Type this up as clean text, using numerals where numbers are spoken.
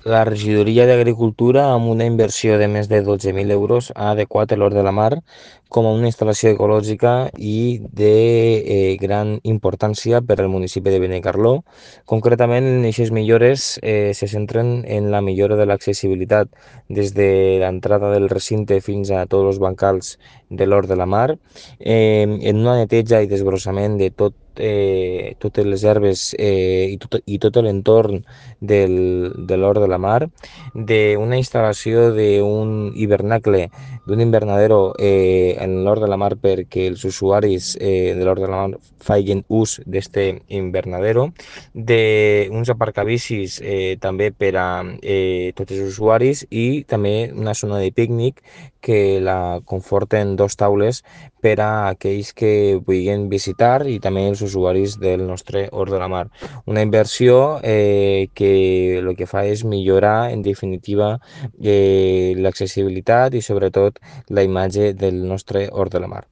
La regidoria d'Agricultura, amb una inversió de més de 12.000 euros, ha adequat l'Hort de la Mar com a una instal·lació ecològica i de gran importància per al municipi de Benicarló. Concretament, aquestes millores se centren en la millora de l'accessibilitat des de l'entrada del recinte fins a tots els bancals de l'Hort de la Mar, en una neteja i desbrossament de totes les herbes i tot l'entorn de l'Hort de la Mar, d'una instal·lació d'un hivernacle, d'un invernadero en l'Hort de la Mar perquè els usuaris de l'Hort de la Mar facin ús d'este invernadero, d'uns aparcabicis també per a tots els usuaris i també una zona de pícnic que la conforten dos taules per a aquells que vulguin visitar i també els usuaris del nostre Hort de la Mar. Una inversió que el que fa és millorar, en definitiva, l'accessibilitat i sobretot la imatge del nostre Hort de la Mar.